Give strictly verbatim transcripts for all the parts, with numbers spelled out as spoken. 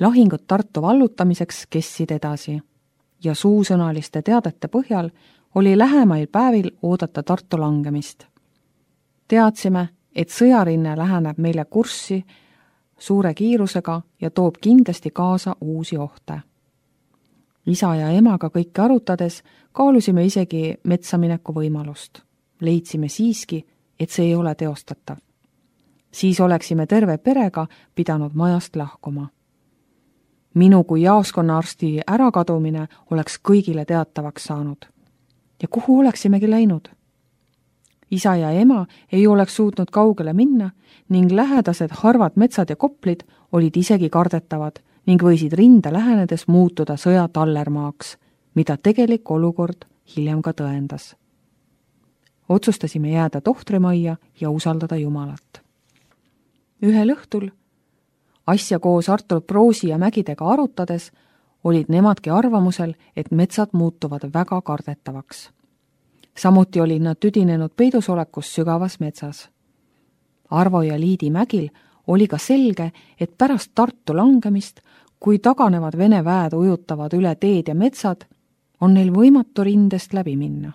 Lahingud Tartu vallutamiseks kestsid edasi ja suusõnaliste teadete põhjal oli lähemail päevil oodata Tartu langemist. Teadsime, et sõjarinne läheneb meile kurssi suure kiirusega ja toob kindlasti kaasa uusi ohte. Isa ja emaga kõike arutades kaalusime isegi metsamineku võimalust. Leidsime siiski, et see ei ole teostatav. Siis oleksime terve perega pidanud majast lahkuma. Minu kui jaoskonnaarsti ärakadumine oleks kõigile teatavaks saanud. Ja kuhu oleksimegi läinud? Isa ja ema ei oleks suutnud kaugele minna ning lähedased harvad metsad ja koplid olid isegi kardetavad ning võisid rinde lähenedes muutuda sõja tallermaaks, mida tegelik olukord hiljem ka tõendas. Otsustasime jääda tohtrimajja ja usaldada Jumalat. Ühel õhtul, asja koos Artur Proosi ja Mägidega arutades, olid nemadki arvamusel, et metsad muutuvad väga kardetavaks. Samuti olid nad tüdinenud peidusolekus sügavas metsas. Arvo ja Liidi Mägil oli ka selge, et pärast Tartu langemist, kui taganevad Vene väed ujutavad üle teed ja metsad, on neil võimatu rindest läbi minna.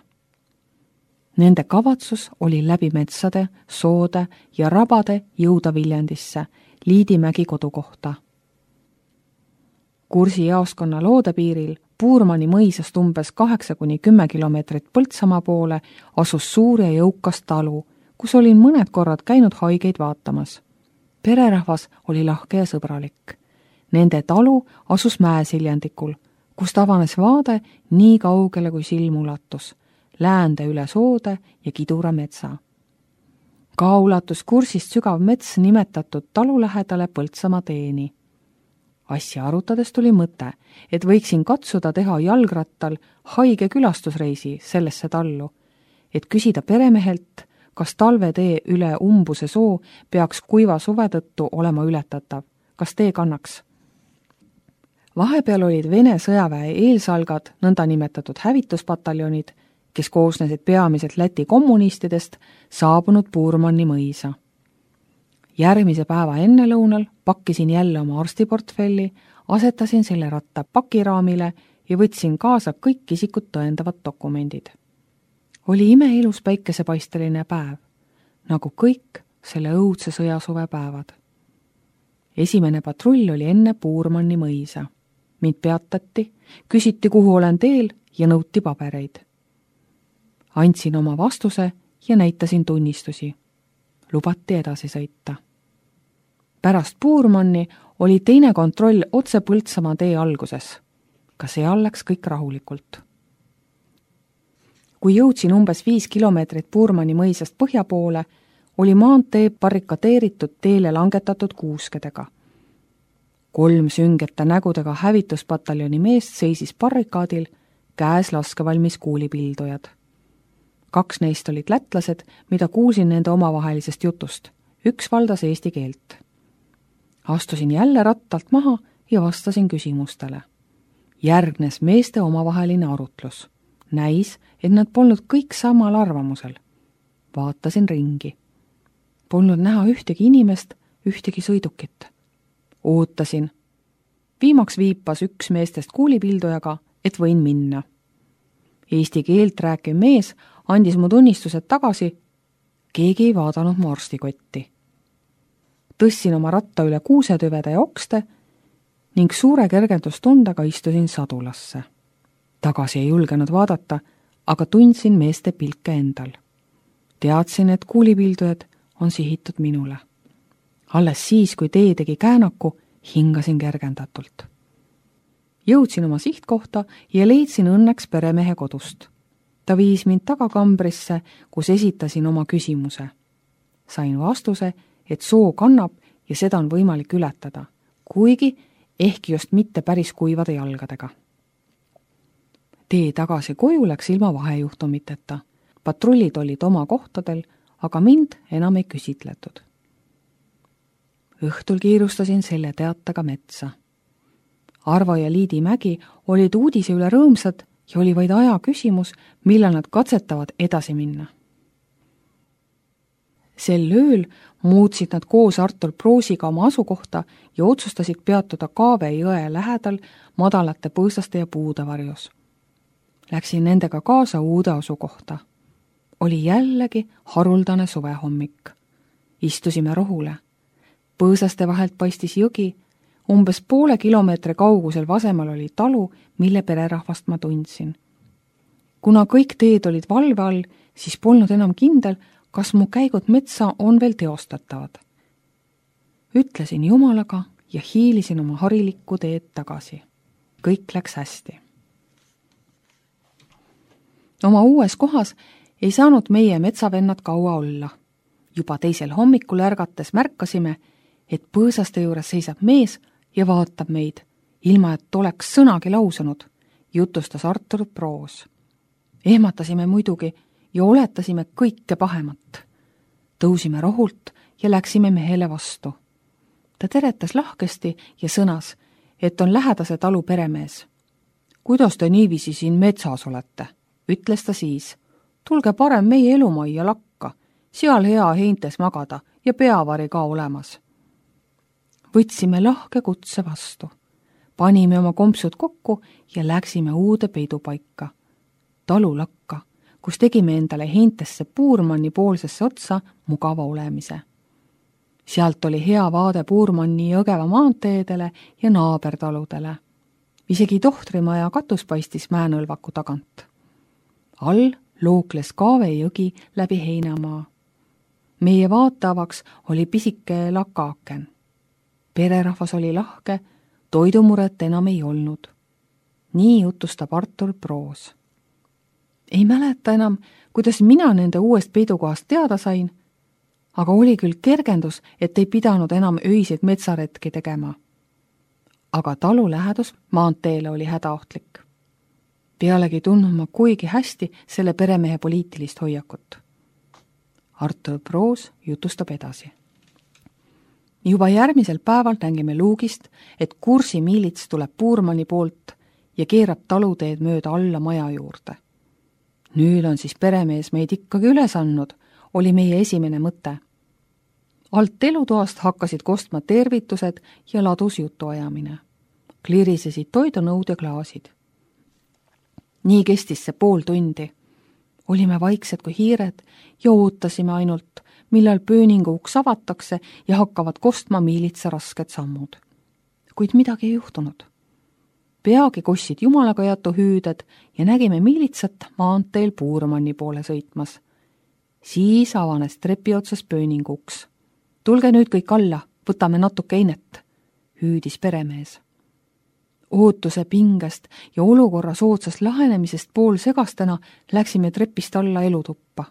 Nende kavatsus oli läbi metsade, soode ja rabade jõuda Viljandisse, Liidimägi kodukohta. Kursi jaoskonna loodepiiril Puurmani mõisast umbes kaheksa kuni kümme kilomeetrit Põltsamaa poole asus suur ja jõukas talu, kus olin mõned korrad käinud haigeid vaatamas. Pererahvas oli lahke ja sõbralik. Nende talu asus Mäesiljandikul, kust avanes vaade nii kaugele kui silm ulatus, läände üle soode ja Kidura metsa. Ka ulatus kursist sügav mets nimetatud talu lähedale Põltsamaa teeni. Asja arutades tuli mõte, et võiksin katsuda teha jalgrattal haige külastusreisi sellesse tallu, et küsida peremehelt, kas talvetee üle Umbuse soo peaks kuiva suve tõttu olema ületatav, kas tee kannaks. Vahepeal olid Vene sõjaväe eelsalgad, nõnda nimetatud hävituspataljonid, kes koosnesid peamiselt Läti kommunistidest, saabunud Puurmanni mõisa. Järgmise päeva ennelõunal pakkisin jälle oma arstiportfelli, asetasin selle ratta pakiraamile ja võtsin kaasa kõik isikut tõendavad dokumendid. Oli imeilus päikesepaisteline päev, nagu kõik selle õudse sõjasuve päevad. Esimene patrull oli enne Puurmanni mõisa. Mind peatati, küsiti, kuhu olen teel ja nõuti pabereid. Andsin oma vastuse ja näitasin tunnistusi. Lubati edasi sõita. Pärast Puurmanni oli teine kontroll otse Põltsamaa tee alguses. Ka seal läks kõik rahulikult. Kui jõudsin umbes viis kilomeetrit Puurmanni mõisast põhja poole, oli maantee barrikadeeritud teele langetatud kuuskedega. Kolm süngete nägudega hävituspataljoni meest seisis barrikaadil, käes laskevalmis kuulipildujad. Kaks neist olid lätlased, mida kuulsin nende omavahelisest jutust. Üks valdas eesti keelt. Astusin jälle rattalt maha ja vastasin küsimustele. Järgnes meeste omavaheline arutlus. Näis, et nad polnud kõik samal arvamusel. Vaatasin ringi. Polnud näha ühtegi inimest, ühtegi sõidukit. Ootasin. Viimaks viipas üks meestest kuulipildujaga, et võin minna. Eesti keelt rääkiv mees andis mu tunnistused tagasi, keegi ei vaadanud mu arstikotti. Tõssin oma ratta üle kuusetüvede ja okste ning suure kergendustundega istusin sadulasse. Tagasi ei julgenud vaadata, aga tundsin meeste pilke endal. Teadsin, et kuulipildujad on sihitud minule. Alles siis, kui tee tegi käänaku, hingasin kergendatult. Jõudsin oma sihtkohta ja leidsin õnneks peremehe kodust. Ta viis mind tagakambrisse, kus esitasin oma küsimuse. Sain vastuse, et soo kannab ja seda on võimalik ületada, kuigi ehkki just mitte päris kuivade jalgadega. Tee tagasi koju läks ilma vahejuhtumiteta. Patrullid olid oma kohtadel, aga mind enam ei küsitletud. Õhtul kiirustasin selle teataga metsa. Arvo ja Liidi Mägi olid uudise üle rõõmsad ja oli vaid aja küsimus, millal nad katsetavad edasi minna. Sel ööl muutsid nad koos Artur Proosiga oma asukohta ja otsustasid peatuda Kaave jõe lähedal madalate põõsaste ja puude varjus. Läksin nendega kaasa uude asukohta. Oli jällegi haruldane suvehommik. Istusime rohule. Põõsaste vahelt paistis jõgi, umbes poole kilomeetri kaugusel vasemal oli talu, mille pererahvast ma tundsin. Kuna kõik teed olid valve all, siis polnud enam kindel, kas mu käigud metsa on veel teostatavad. Ütlesin Jumalaga ja hiilisin oma harilikku teed tagasi. Kõik läks hästi. Oma uues kohas ei saanud meie metsavennad kaua olla. Juba teisel hommikul ärgates märkasime, et põõsaste juures seisab mees ja vaatab meid, ilma et oleks sõnagi lausunud, jutustas Artur Proos. Ehmatasime muidugi ja oletasime kõike pahemat. Tõusime rohult ja läksime mehele vastu. Ta teretas lahkesti ja sõnas, et on lähedase talu peremees. Kuidas te niiviisi siin metsas olete? Ütles ta siis. Tulge parem meie elumajja lakka, seal hea heintes magada ja peavari ka olemas. Võtsime lahke kutse vastu. Panime oma kompsud kokku ja läksime uude peidupaika. Talu lakka, kus tegime endale heintesse Puurmanni poolsesse otsa mugava olemise. Sealt oli hea vaade Puurmanni Jõgeva maanteedele ja naabertaludele. Isegi Tohtrimaja katus paistis mäenõlvaku tagant. All lookles Kaave jõgi läbi heinamaa. Meie vaatavaks oli pisike lakaaken. Pererahvas oli lahke, toidumuret enam ei olnud. Nii jutustab Artur Proos. Ei mäleta enam, kuidas mina nende uuest peidukohast teada sain, aga oli küll kergendus, et ei pidanud enam öiseid metsaretki tegema. Aga talu lähedus maanteele oli hädaohtlik. Pealegi tundnud ma kuigi hästi selle peremehe poliitilist hoiakut. Artur Proos jutustab edasi. Juba järgmisel päeval nägime luugist, et kursi miilits tuleb Puurmanni poolt ja keerab taluteed mööda alla maja juurde. Nüüd on siis peremees meid ikkagi üles andnud, oli meie esimene mõte. Alt elutoast hakkasid kostma tervitused ja ladus jutuajamine. Klirisesid toidunõud ja klaasid. Nii kestis see pool tundi. Olime vaiksed kui hiired ja ootasime ainult, millal pööningu uks avatakse ja hakkavad kostma miilitsa rasked sammud. Kuid midagi ei juhtunud. Peagi kossid Jumalaga jatu hüüded ja nägime miilitsat maanteel Puurmanni poole sõitmas. Siis avanes trepi otsas pööningu uks. Tulge nüüd kõik alla, võtame natuke einet, hüüdis peremees. Ootuse pingest ja olukorra soodsast lahenemisest pool segastena läksime trepist alla elutuppa.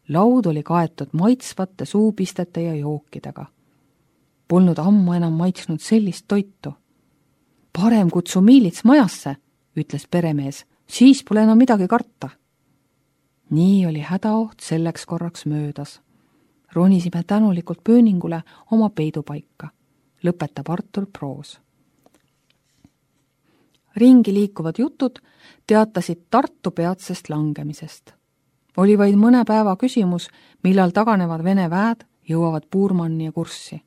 Laud oli kaetud maitsvate suupistete ja jookidega. Polnud ammu enam maitsnud sellist toitu. Parem kutsu miilits majasse, ütles peremees, siis pole enam midagi karta. Nii oli hädaoht selleks korraks möödas. Ronisime tänulikult pööningule oma peidupaika, lõpetab Artur Proos. Ringi liikuvad jutud teatasid Tartu peatsest langemisest. Oli vaid mõne päeva küsimus, millal taganevad Vene väed jõuavad Puurmanni ja kurssi.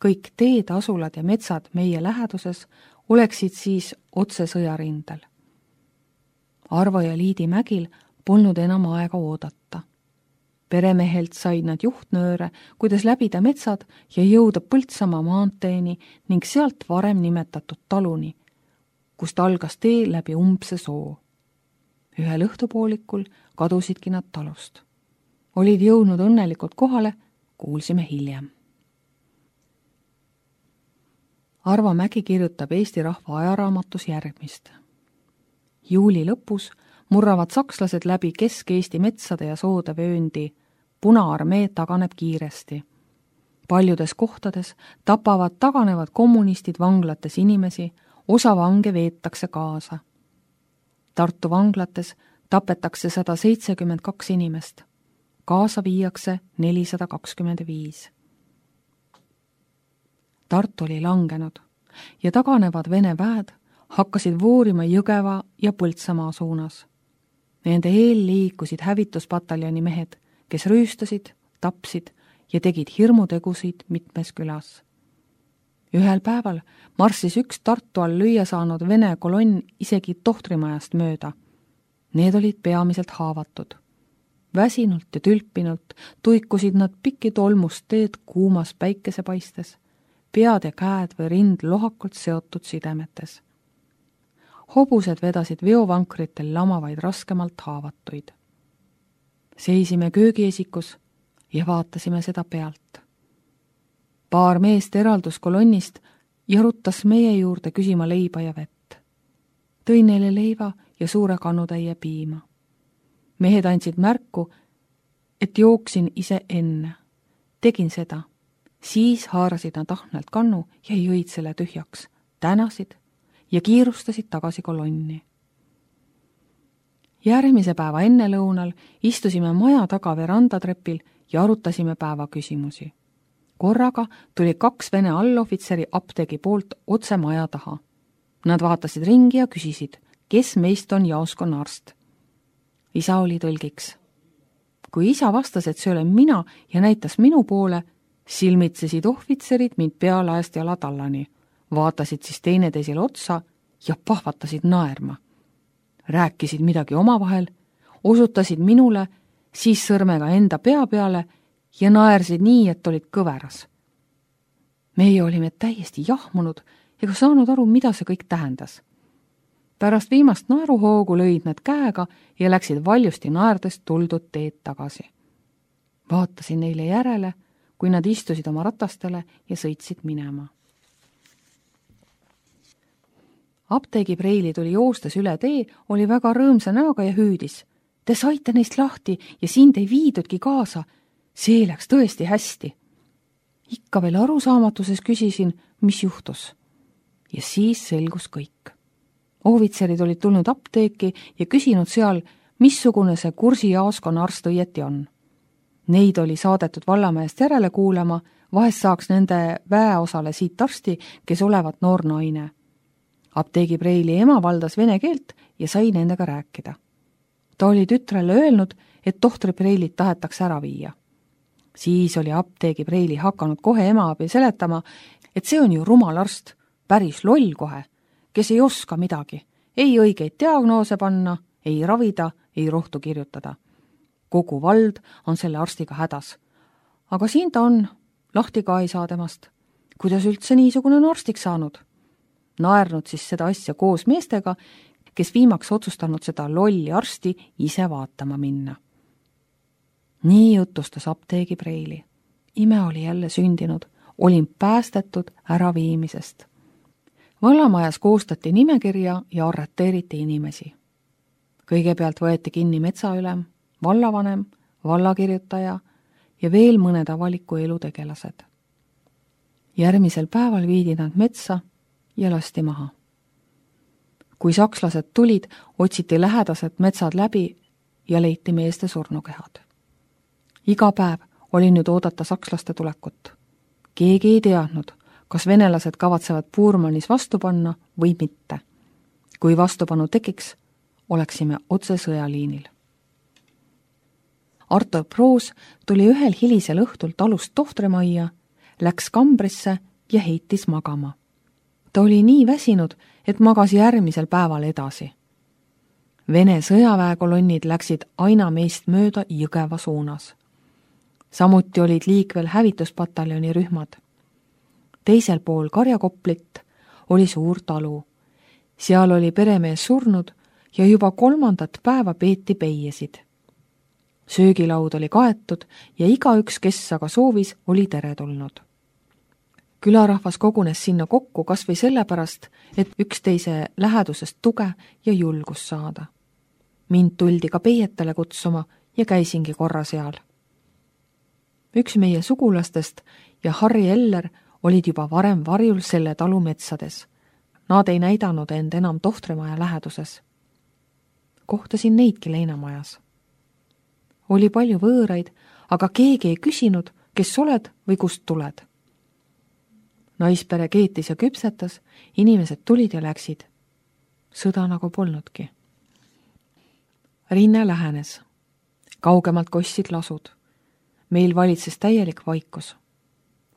Kõik teed, asulad ja metsad meie läheduses oleksid siis otse sõjarindel. Arvo ja Liidi mägil polnud enam aega oodata. Peremehelt said nad juhtnööre, kuidas läbida metsad ja jõuda Põltsamaa maanteeni ning sealt varem nimetatud taluni, kust algas tee läbi Umbse soo. Ühel õhtupoolikul kadusidki nad talust. Olid jõudnud õnnelikult kohale, kuulsime hiljem. Arvo Mägi kirjutab Eesti Rahva ajaraamatus järgmist. Juuli lõpus murravad sakslased läbi Kesk-Eesti metsade ja soode vööndi. Punaarmee taganeb kiiresti. Paljudes kohtades tapavad taganevad kommunistid vanglates inimesi, osa vange veetakse kaasa. Tartu vanglates tapetakse sada seitsekümmend kaks inimest. Kaasa viiakse nelisada kakskümmend viis. Tartu oli langenud ja taganevad Vene väed hakkasid voorima Jõgeva ja Põltsamaa suunas. Nende eel liikusid hävituspataljoni mehed, kes rüüstasid, tapsid ja tegid hirmutegusid mitmes külas. Ühel päeval marssis üks Tartu all lüüa saanud vene kolonn isegi tohtrimajast mööda. Need olid peamiselt haavatud. Väsinult ja tülpinult tuikusid nad pikki tolmust teed kuumas päikesepaistes, pead ja käed või rind lohakult seotud sidemetes. Hobused vedasid veovankritel lamavaid raskemalt haavatuid. Seisime köögiesikus ja vaatasime seda pealt. Paar meest eraldus kolonnist ja ruttas meie juurde küsima leiba ja vett. Tõin neile leiva ja suure kannutäie piima. Mehed andsid märku, et jooksin ise enne. Tegin seda. Siis haarasid nad ahnelt kannu ja jõid selle tühjaks, tänasid ja kiirustasid tagasi kolonni. Järgmise päeva ennelõunal istusime maja taga verandatrepil ja arutasime päeva küsimusi. Korraga tuli kaks vene allohvitseri apteegi poolt otse maja taha. Nad vaatasid ringi ja küsisid, kes meist on jaoskonna arst. Isa oli tõlgiks. Kui isa vastas, et see olen mina ja näitas minu poole, silmitsesid ohvitserid mind pealaest jala tallani, vaatasid siis teineteisele otsa ja pahvatasid naerma. Rääkisid midagi omavahel, osutasid minule, siis sõrmega enda pea peale ja naersid nii, et olid kõveras. Meie olime täiesti jahmunud ega saanud aru, mida see kõik tähendas. Pärast viimast naeruhoogu lõid nad käega ja läksid valjusti naerdest tuldud teed tagasi. Vaatasin neile järele, kui nad istusid oma ratastele ja sõitsid minema. Apteegi preili tuli joostes üle tee, oli väga rõõmsa näoga ja hüüdis. Te saite neist lahti ja sind ei viidudki kaasa. See läks tõesti hästi. Ikka veel arusaamatuses küsisin, mis juhtus. Ja siis selgus kõik. Ohvitserid olid tulnud apteeki ja küsinud seal, missugune see kursi jaoskonna arst õieti on. Neid oli saadetud vallamäest järele kuulama, vahest saaks nende väeosale siit arsti, kes olevat noor naine. Apteegi preili ema valdas vene keelt ja sai nendega rääkida. Ta oli tütrele öelnud, et tohtri preilit tahetakse ära viia. Siis oli apteegi preili hakanud kohe ema abi seletama, et see on ju rumal arst, päris loll kohe, kes ei oska midagi, ei õigeid diagnoose panna, ei ravida, ei rohtu kirjutada. Kogu vald on selle arstiga hädas. Aga siin ta on, lahti ka ei saa temast. Kuidas üldse niisugune on arstiks saanud? Naernud siis seda asja koos meestega, kes viimaks otsustanud seda lolli arsti ise vaatama minna. Nii jutustas apteegi preili. Ime oli jälle sündinud, olin päästetud äraviimisest. Vallamajas koostati nimekirja ja arreteeriti inimesi. Kõigepealt võeti kinni metsaülem, vallavanem, vallakirjutaja ja veel mõned avaliku elu tegelased. Järgmisel päeval viidi nad metsa ja lasti maha. Kui sakslased tulid, otsiti lähedased metsad läbi ja leiti meeste surnukehad. Iga päev oli nüüd oodata sakslaste tulekut. Keegi ei teadnud, kas venelased kavatsevad Puurmanis vastu panna või mitte. Kui vastupanu tekiks, oleksime otse sõjaliinil. Artur Proos tuli ühel hilisel õhtul talust tohtrimajja, läks kambrisse ja heitis magama. Ta oli nii väsinud, et magas järgmisel päeval edasi. Vene sõjaväekolonnid läksid aina meist mööda Jõgeva suunas. Samuti olid liikvel hävituspataljoni rühmad. Teisel pool Karjakoplit oli suur talu. Seal oli peremees surnud ja juba kolmandat päeva peeti peiesid. Söögilaud oli kaetud ja igaüks, kes aga soovis, oli teretulnud. Külarahvas kogunes sinna kokku kas või sellepärast, et üksteise lähedusest tuge ja julgus saada. Mind tuldi ka peietele kutsuma ja käisingi korra seal. Üks meie sugulastest ja Harri Eller olid juba varem varjul selle talu metsades. Nad ei näidanud end enam tohtrimaja läheduses. Kohtasin neidki leinamajas. Oli palju võõraid, aga keegi ei küsinud, kes oled või kust tuled. Naispere keetis ja küpsetas, inimesed tulid ja läksid. Sõda nagu polnudki. Rinne lähenes. Kaugemalt kostsid lasud. Meil valitses täielik vaikus.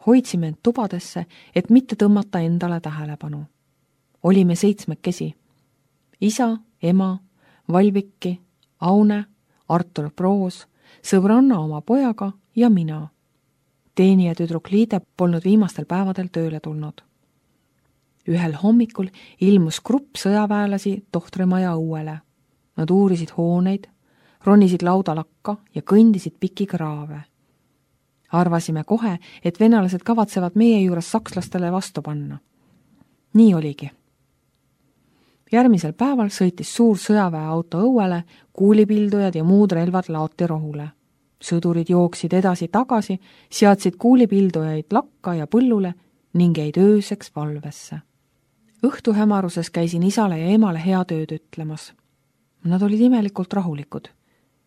Hoidsime end tubadesse, et mitte tõmmata endale tähelepanu. Olime seitsmekesi. Isa, ema, Valviki, Aune, Artur Proos, sõbranna oma pojaga ja mina. Teenija tüdruk Liide polnud viimastel päevadel tööle tulnud. Ühel hommikul ilmus grupp sõjaväelasi tohtrimaja õuele. Nad uurisid hooneid, ronisid laudalakka ja kõndisid piki kraave. Arvasime kohe, et venelased kavatsevad meie juures sakslastele vastu panna. Nii oligi. Järgmisel päeval sõitis suur sõjaväeauto õuele, kuulipildujad ja muud relvad laoti rohule. Sõdurid jooksid edasi-tagasi, seadsid kuulipildujaid lakka ja põllule ning jäid ööseks valvesse. Õhtuhämaruses käisin isale ja emale hea tööd ütlemas. Nad olid imelikult rahulikud.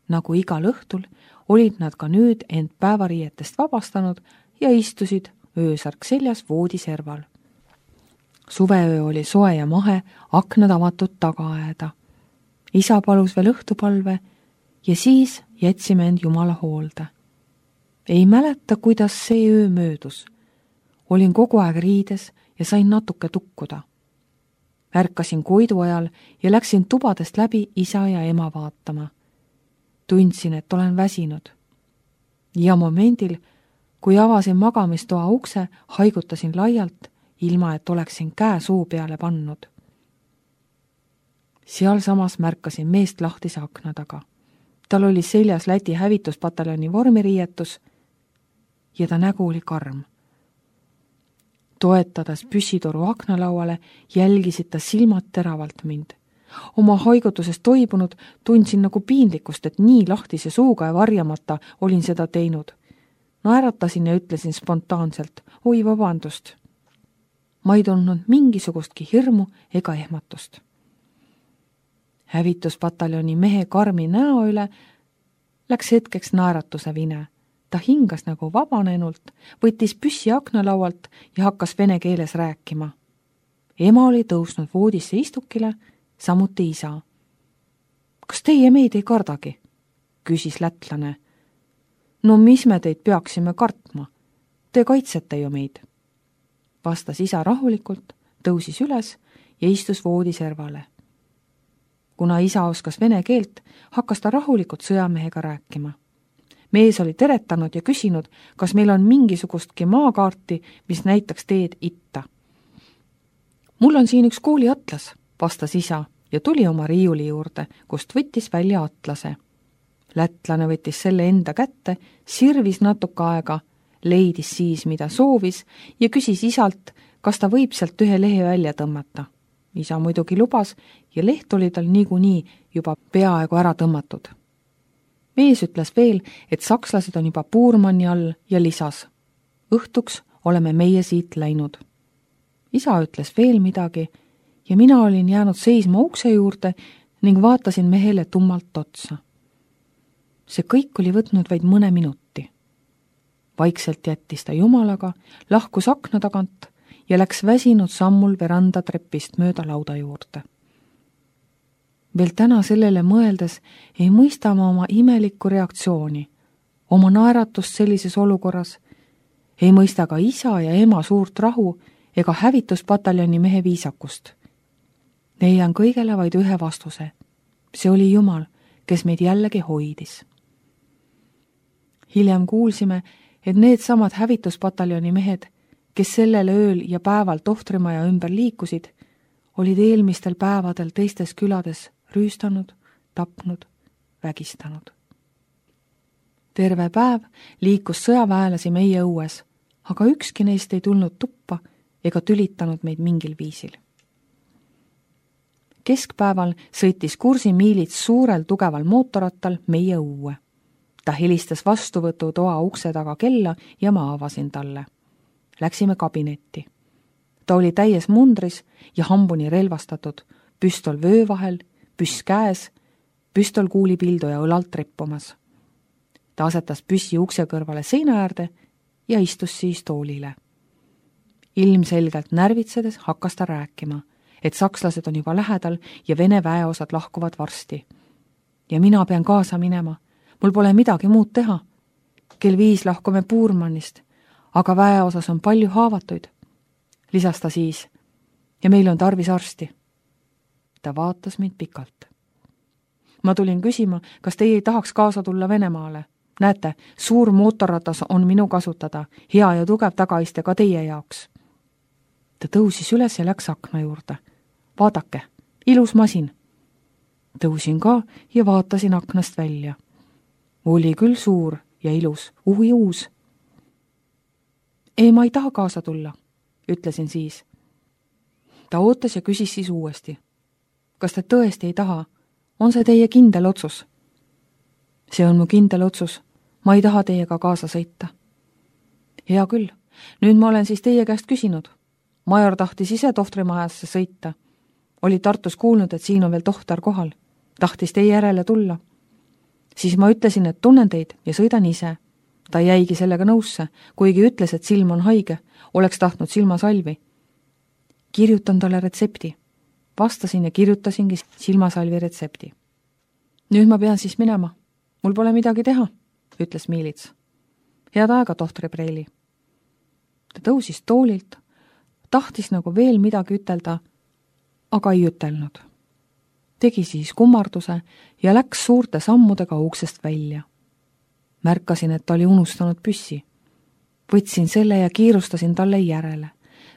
Nagu igal õhtul olid nad ka nüüd end päevariietest vabastanud ja istusid öösark seljas voodiserval. Suveöö oli soe ja mahe, aknad avatud tagaaeda. Isa palus veel õhtupalve ja siis jätsime end Jumala hoolde. Ei mäleta, kuidas see öö möödus. Olin kogu aeg riides ja sain natuke tukkuda. Ärkasin koidu ajal ja läksin tubadest läbi isa ja ema vaatama. Tundsin, et olen väsinud. Ja momendil, kui avasin magamistoa ukse, haigutasin laialt, ilma et oleksin käe suu peale pannud. Seal samas märkasin meest lahtise akna taga. Tal oli seljas Läti hävituspataljoni vormiriietus ja ta nägu oli karm. Toetades püssitoru aknalauale, jälgisid ta silmad teravalt mind. Oma haigutusest toibunud tundsin nagu piinlikkust, et nii lahtise suuga ja varjamata olin seda teinud. Naeratasin ja ütlesin spontaanselt, oi vabandust. Ma ei tundnud mingisugustki hirmu ega ehmatust. Hävituspataljoni mehe karmi näo üle läks hetkeks naeratuse vine. Ta hingas nagu vabanenult, võttis püssi aknalaualt ja hakkas vene keeles rääkima. Ema oli tõusnud voodisse istukile, samuti isa. Kas teie meid ei kardagi? Küsis lätlane. No mis me teid peaksime kartma? Te kaitsete ju meid. Vastas isa rahulikult, tõusis üles ja istus voodiservale. Kuna isa oskas vene keelt, hakkas ta rahulikult sõjamehega rääkima. Mees oli teretanud ja küsinud, kas meil on mingisugustki maakaarti, mis näitaks teed itta. Mul on siin üks kooli atlas, vastas isa ja tuli oma riiuli juurde, kust võttis välja atlase. Lätlane võttis selle enda kätte, sirvis natuke aega, leidis siis, mida soovis ja küsis isalt, kas ta võib sealt ühe lehe välja tõmmata. Isa muidugi lubas ja leht oli tal niikuinii juba peaaegu ära tõmmatud. Mees ütles veel, et sakslased on juba Puurmanni all ja lisas. Õhtuks oleme meie siit läinud. Isa ütles veel midagi ja mina olin jäänud seisma ukse juurde ning vaatasin mehele tummalt otsa. See kõik oli võtnud vaid mõne minuti. Vaikselt jättis ta Jumalaga, lahkus akna tagant ja läks väsinud sammul veranda trepist mööda lauda juurde. Veel täna sellele mõeldes ei mõista ma oma imelikku reaktsiooni, oma naeratust sellises olukorras, ei mõista ka isa ja ema suurt rahu ega hävituspataljoni mehe viisakust. Leian kõigele vaid ühe vastuse. See oli Jumal, kes meid jällegi hoidis. Hiljem kuulsime, et need samad hävituspataljoni mehed, kes sellel ööl ja päeval tohtrimaja ümber liikusid, olid eelmistel päevadel teistes külades rüüstanud, tapnud, vägistanud. Terve päev liikus sõjaväelasi meie õues, aga ükski neist ei tulnud tuppa ega tülitanud meid mingil viisil. Keskpäeval sõitis kursimiilits suurel tugeval mootorattal meie õue. Ta helistas vastuvõtu toa ukse taga kella ja ma avasin talle. Läksime kabinetti. Ta oli täies mundris ja hambuni relvastatud, püstol vöö vahel, püss käes, püstol kuulipilduja õlalt rippumas. Ta asetas püssi ukse kõrvale seina äärde ja istus siis toolile. Ilmselgelt närvitsedes hakkas ta rääkima, et sakslased on juba lähedal ja Vene väeosad lahkuvad varsti. Ja mina pean kaasa minema, mul pole midagi muud teha. kell viis lahkume Puurmannist, aga väeosas on palju haavatuid, lisas ta siis, ja meil on tarvis arsti. Ta vaatas mind pikalt. Ma tulin küsima, kas teie ei tahaks kaasa tulla Venemaale. Näete, suur mootorratas on minu kasutada, hea ja tugev tagaiste ka teie jaoks. Ta tõusis üles ja läks akna juurde. Vaadake, ilus masin. Tõusin ka ja vaatasin aknast välja. Oli küll suur ja ilus, uhi uus. Ei, ma ei taha kaasa tulla, ütlesin siis. Ta ootas ja küsis siis uuesti. Kas te tõesti ei taha? On see teie kindel otsus? See on mu kindel otsus. Ma ei taha teiega kaasa sõita. Hea küll. Nüüd ma olen siis teie käest küsinud. Major tahtis ise tohtrimajasse sõita. Oli Tartus kuulnud, et siin on veel tohter kohal. Tahtis teie järele tulla. Siis ma ütlesin, et tunnen teid ja sõidan ise. Ta jäigi sellega nõusse, kuigi ütles, et silm on haige. Oleks tahtnud silmasalvi. Kirjutan talle retsepti. Vastasin ja kirjutasingi silmasalvi retsepti. Nüüd ma pean siis minema. Mul pole midagi teha, ütles Miilits. Head aega, tohtri Preili. Ta tõusis toolilt, tahtis nagu veel midagi ütelda, aga ei ütelnud. Tegi siis kummarduse ja läks suurte sammudega uksest välja. Märkasin, et ta oli unustanud püssi. Võtsin selle ja kiirustasin talle järele.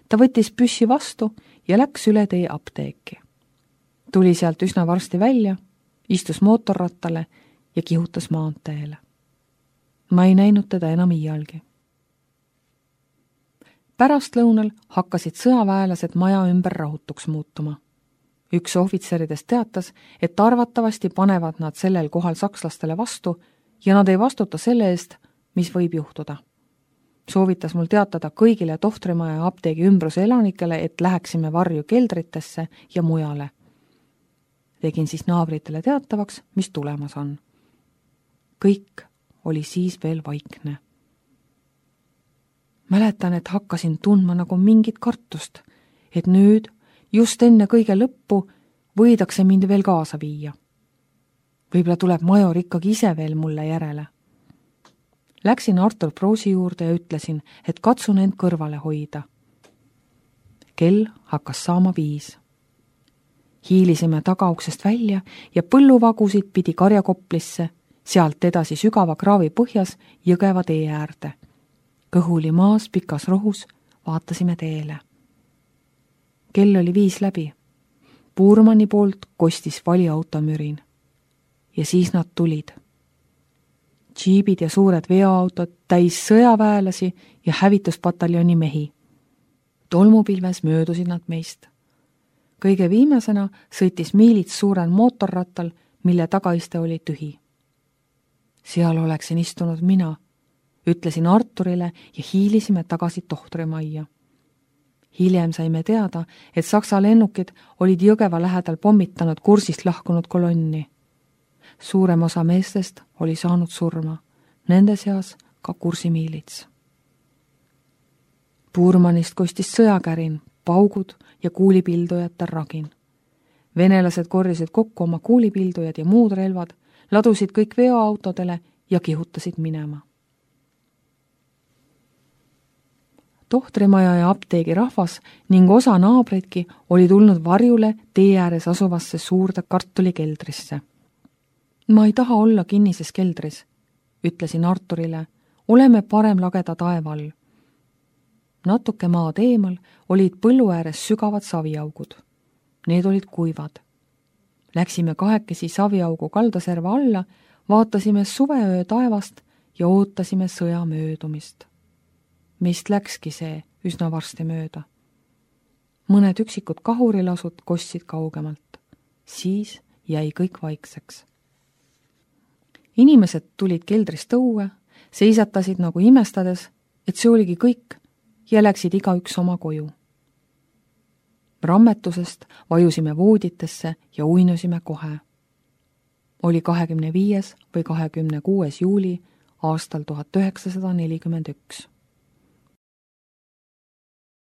Ta võttis püssi vastu ja läks üle tee apteeki. Tuli sealt üsna varsti välja, istus mootorrattale ja kihutas maanteele. Ma ei näinud teda enam iialgi. Pärastlõunal hakkasid sõjaväelased maja ümber rahutuks muutuma. Üks ohvitseridest teatas, et arvatavasti panevad nad sellel kohal sakslastele vastu ja nad ei vastuta selle eest, mis võib juhtuda. Soovitas mul teatada kõigile tohtrimaja ja apteegi ümbruse elanikele, et läheksime varju keldritesse ja mujale. Tegin siis naabritele teatavaks, mis tulemas on. Kõik oli siis veel vaikne. Mäletan, et hakkasin tundma nagu mingit kartust, et nüüd, just enne kõige lõppu, võidakse mind veel kaasa viia. Võib-olla tuleb major ikkagi ise veel mulle järele. Läksin Artur Proosi juurde ja ütlesin, et katsun end kõrvale hoida. Kell hakkas saama viis. Hiilisime tagauksest välja ja põlluvagusid pidi Karjakoplisse, sealt edasi sügava kraavi põhjas Jõgeva tee äärde. Kõhu oli maas pikas rohus, vaatasime teele. Kell oli viis läbi. Puurmanni poolt kostis valiautomürin. Ja siis nad tulid. Džiibid ja suured veoautod täis sõjaväelasi ja hävituspataljoni mehi. Tolmupilves möödusid nad meist. Kõige viimesena sõitis Miilits suurel mootorrattal, mille tagaiste oli tühi. Seal oleksin istunud mina, ütlesin Arturile ja hiilisime tagasi tohtrimajja. Hiljem saime teada, et saksa lennukid olid Jõgeva lähedal pommitanud kursist lahkunud kolonni. Suurem osa meestest oli saanud surma, nende seas ka kursimiilits. Puurmannist kostis sõjakärin, paugud ja kuulipildujate ragin. Venelased korjasid kokku oma kuulipildujad ja muud relvad, ladusid kõik veoautodele ja kihutasid minema. Tohtrimaja ja apteegi rahvas ning osa naabreidki oli tulnud varjule tee ääres asuvasse suurde kartulikeldrisse. Ma ei taha olla kinnises keldris, ütlesin Arturile, oleme parem lageda taeval. Natuke maad eemal olid põllu ääres sügavad saviaugud. Need olid kuivad. Läksime kahekesi saviaugu kaldaserva alla, vaatasime suveöö taevast ja ootasime sõja möödumist. Meist läkski see üsna varsti mööda. Mõned üksikud kahurilasud kostsid kaugemalt. Siis jäi kõik vaikseks. Inimesed tulid keldrist õue, seisatasid nagu imestades, et see oligi kõik ja läksid igaüks oma koju. Rammetusest vajusime vooditesse ja uinusime kohe. Oli kahekümne viies või kahekümne kuues juuli aastal tuhat üheksasada nelikümmend üks.